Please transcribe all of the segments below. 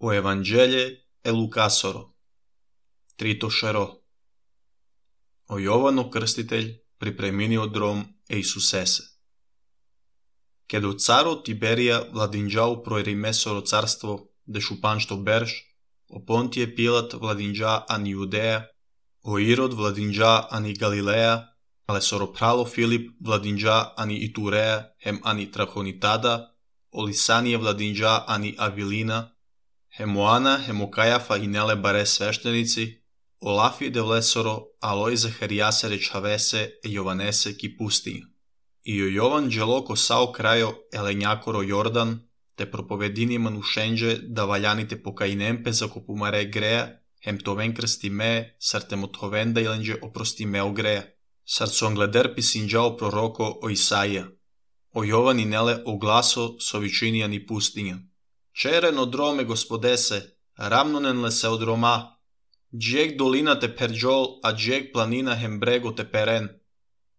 По Евангелие е Лукасоро. Трито шеро. О Јовано Крстителј припреминиот дром е Исусесе. Кедо царот Тиберија владинџа проери Месоро царство, де шупаншто берш, о Понтије Пилат владинџа ани Јудеја, о Ирод владинџа ани Галилеја, але Соропрало Филип владинџа ани Итуреја, хем ани Трахонитада, о Лисанија владинџа ани Авилина, Хемоана, Хемокајафа и Неле баре свештеници, Олафи Девлесоро, Алој Захаријасе речавесе е Јованесе ки пустиња. И о Јован джелоко сао крајо еленјакоро Јордан, те проповедини манушенџе да валјаните покајнемпе за копумаре греја, хем товен крсти ме, сартемотовен да иленџе опрости мео греја. Сарцонгледер писинџао пророко о Исаија. О Јован и Неле огласо со вичинија ни пустиња. Черен одроме Господесе, рамнонен ле се одрома, джек долина те перџол, а джек планина хем брего те перен.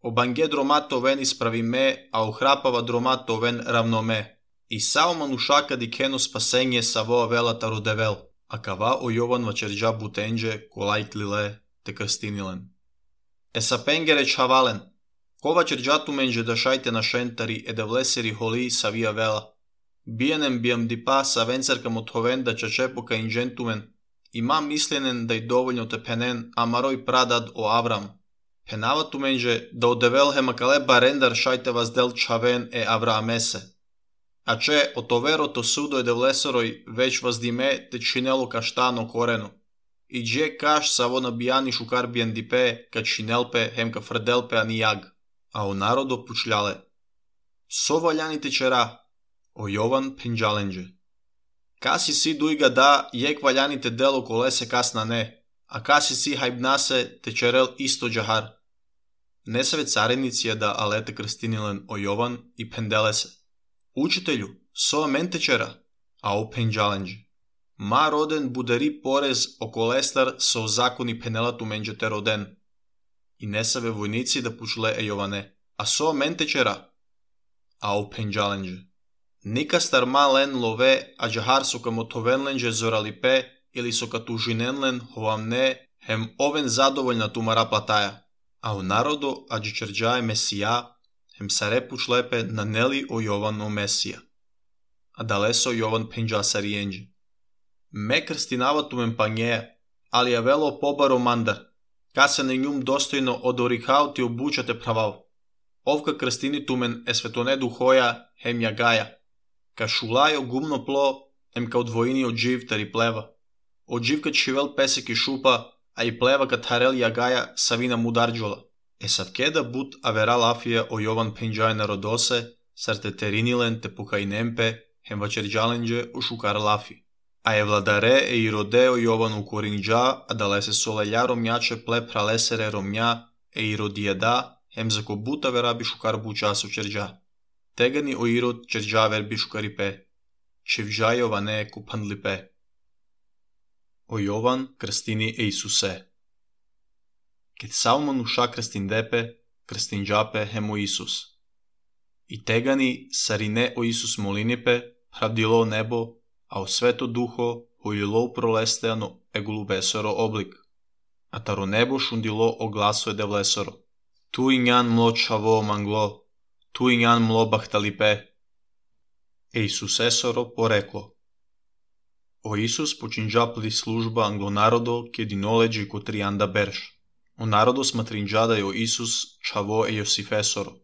Обанге дромат овен исправи ме, а охрапава дромат овен равноме. И сао манушака ди кено спасење саво велата родевел, а кава о Јован вачерџа бутенџе, колајтлиле те крстинилен. Есапенгере чавален, кова черџату менџе да шајте на шентари е да влесери холи савија вела. Биенем бијам дипа са венцерка мотовен да чачепо ка инџентумен, има мисленен да и доволно те пенен, амарој прадад о Аврам. Пенавату менџе да одевел хемакале барендар шајте ваздел чавен е Авраамесе. А че отоверото судо е девлесорој веќе ваздиме те чинело каштано корено. И дже каш саво набијани шукар биен дипе ка чинелпе хемка фрделпе ани јаг. А о народо пучляле. Со валјаните чера, о Јован пенџаленџе. Каси си дујга да јек валјаните дело колесе касна не, а каси си хајбнасе те черел исто џахар. Не се царениција да алете крстинилен о Јован и пенделесе. Учителју, со мен те чера, а о пенџаленџе. Ма роден будари порез о колестар со закони пенелату менџе те роден. И не се војници да пучле е Јоване, а со мен те чера, а о пенџаленџе. Ника стармален лове, а џахар со камотовенленџе зоралипе или со катужиненлен хоамне, хем овен задоволна тумара платаја. А у народо аџичерџа е Месија, хем саре пучлепе на нели о Јован о Месија. А далесо Јован пенџасариенџе. Ме крстинава тумен пањеја, али ја вело побаро мандар, ка се на њум достојно од орикао ти обучате правал. Овка крстини тумен е светоне духоја, хем јагаја. Ка шулајо гумно пло, ем ка одвоини од жив тари плева. Од жив ка чивел песек и шупа, а и плева ка тарел јагаја савина мударџола. Е савкеда бут авера лафија о Јован пенџај народосе, сарте теринилен те покајнемпе, хем вачерџаленџе о шукар лафи. А е владаре е и роде о Јован у коринџа, а далесе солеља ромјаче пле пралесере ромја, е и родијада, хем зако бут авера би шукар буча со черџа. Тегани о Ирод черџавер би шукарипе, чевџа Јоване купанлипе. О Јован крстини е Исусе. Кет сао мануша крстиндепе, крстинџапе хемо Исус. И тегани сарине о Исус молинипе, правдило небо, а о свето духо хојило пролестеано е голубесоро облик. А таро небо шундило о гласо е девлесоро. Ту ињан мло чаво мангло, ту ињан мло бахталипе. Е Исусесоро порекло. О Исус починџапли служба англонародо ке динолеџи ко тријанда берш. О народо сматринџада о Исус чаво е Јосифесоро.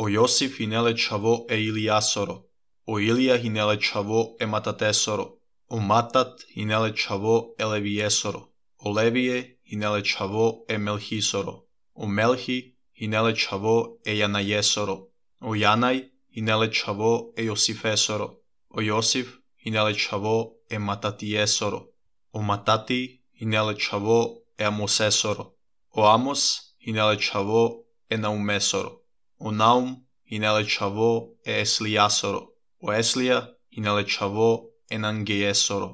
О Јосиф и неле чаво е Илијасоро. О Илија и неле чаво е Мататесоро. О Матат и неле чаво е Левиесоро. О Левие и неле чаво е Мелхисоро. О Мелхи и неле чаво е Јанајесоро. О Јанај и неле чаво е Јосифесоро. О Јосиф и неле чаво е Мататиесоро. О Матати и неле чаво е Амосесоро. О Амос и неле чаво е Наумесоро. О Наум и неле чаво е Еслијасоро. О Еслија и неле чаво е Нангејесоро.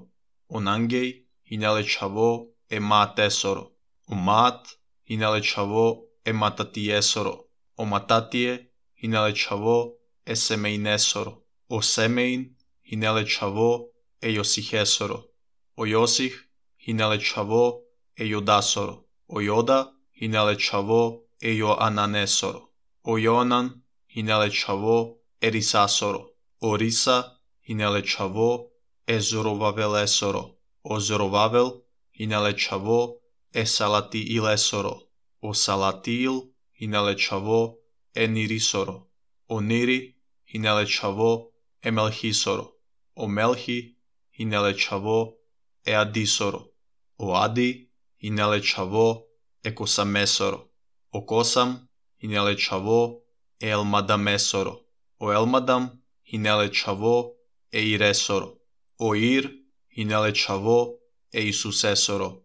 О Нангеј и неле чаво е Маатесоро. О Маат и неле чаво е Мататиесоро. О Мататие и неле чаво е Семејнесоро. О Семејн и неле чаво е Јосихесоро. o Iosih hinele chavo e Iodasoro, o Ioda hinele chavo e Ioananesoro, o Ioanan hinele chavo e Risasoro, o Risa hinele chavo e Zorovavelesoro, o Zorovavel hinele chavo e Salatiilesoro, o Salatiil hinele chavo e Nirisoro, o Niri hinele chavo e Melchisoro, o Melchi hinele chavo e Adisoro, o Adi hinele chavo e Kosamesoro, o Kosam hinele chavo e Elmadamesoro, o Elmadam hinele chavo e Iresoro, o Ir hinele chavo e Isusesoro,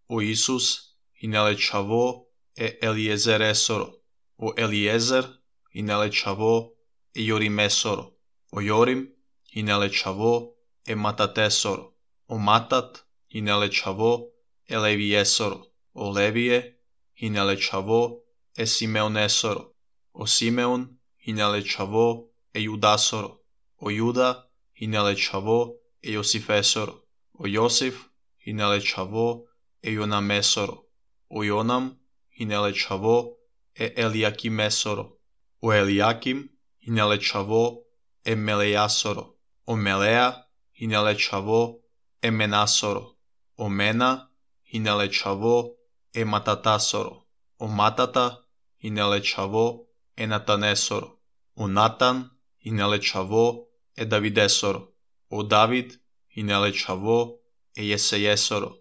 o Isus hinele chavo e Eliezeresoro, o Eliezer hinele chavo e Jorimesoro, o Jorim hinele chavo e Matatesoro, o Matat hinele chavo e Leviesoro, o Levie hinele chavo e Simeonesoro, o Simeon hinele chavo e Judasoro, o Juda hinele chavo e Josifesoro, o Josif hinele chavo e Jonamesoro, o Jonam hinele chavo e Eliakimesoro, o Eliakim hinele chavo e Melejasoro, o Melea hinele chavo e Menasoro, o Mena hinele chavo e Matatasoro, o Matata hinele chavo e Natanesoro, o Natan hinele chavo e Davidesoro, o David hinele chavo e Jesejesoro,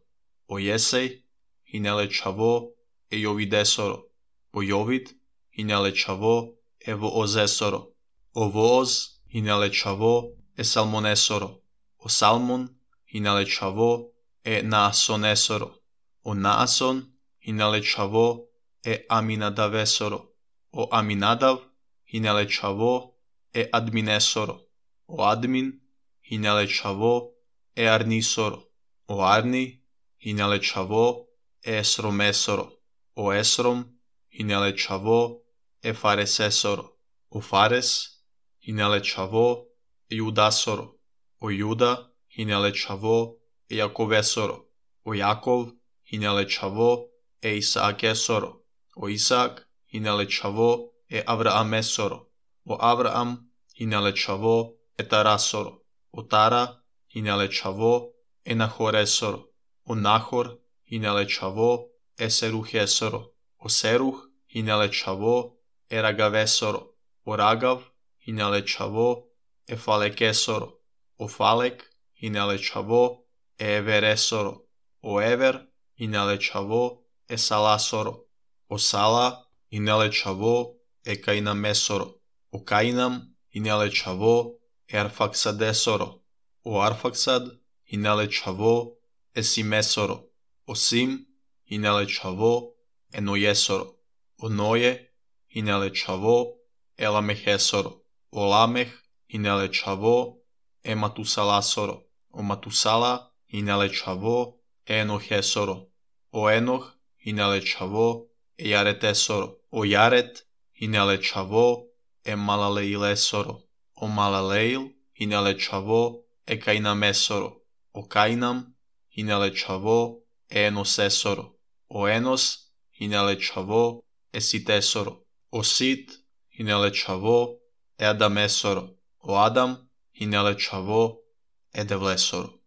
o Jesej hinele chavo e Jovidesoro, o Jovid hinele chavo e Voozesoro, o Vooz hinele chavo e Salmonesoro, o Salmon hinele chavo e Naasonesoro, o Naason hinele chavo e Aminadavesoro, o Aminadav hinele chavo e Adminesoro, o Admin hinele chavo e Arnisoro, o Arni hinele chavo e Esromesoro, o Esrom hinele chavo e Faresesoro, o Fares hinele chavo e Judasoro, o Juda hinele chavo e Jakovesoro, o Jakov hinele chavo e Isaakesoro, o Isaak hinele chavo e Avraamesoro, o Avraam hinele chavo e Tarasoro, o Tara hinele chavo e Nahoresoro, o Nahor hinele chavo e Seruhesoro, o Seruh hinele chavo e Ragavesoro, o Ragav hinele chavo e Falekesoro, o Falek hinele chavo e Everesoro, o Ever hinele chavo e Salasoro, o Sala hinele chavo e Kainamesoro, o Kainam hinele chavo e Arfaxadesoro, o Arfaxad hinele chavo e Simesoro, o Sim hinele chavo e Nojesoro, o Noje hinele chavo e Lamehesoro, o Lameh hinele chavo e Matusalasoro, o Matusala hinele chavo e Enohesoro, o Enoh hinele chavo e Jaretesoro, o Jaret hinele chavo e Malaleilesoro, o Malaleil hinele chavo e Kainamesoro, o Kainam hinele chavo e Enosesoro, o Enos hinele chavo e Sitesoro, o Sit hinele chavo e Adamesoro, o Adam hinele chavo e Devlesoro.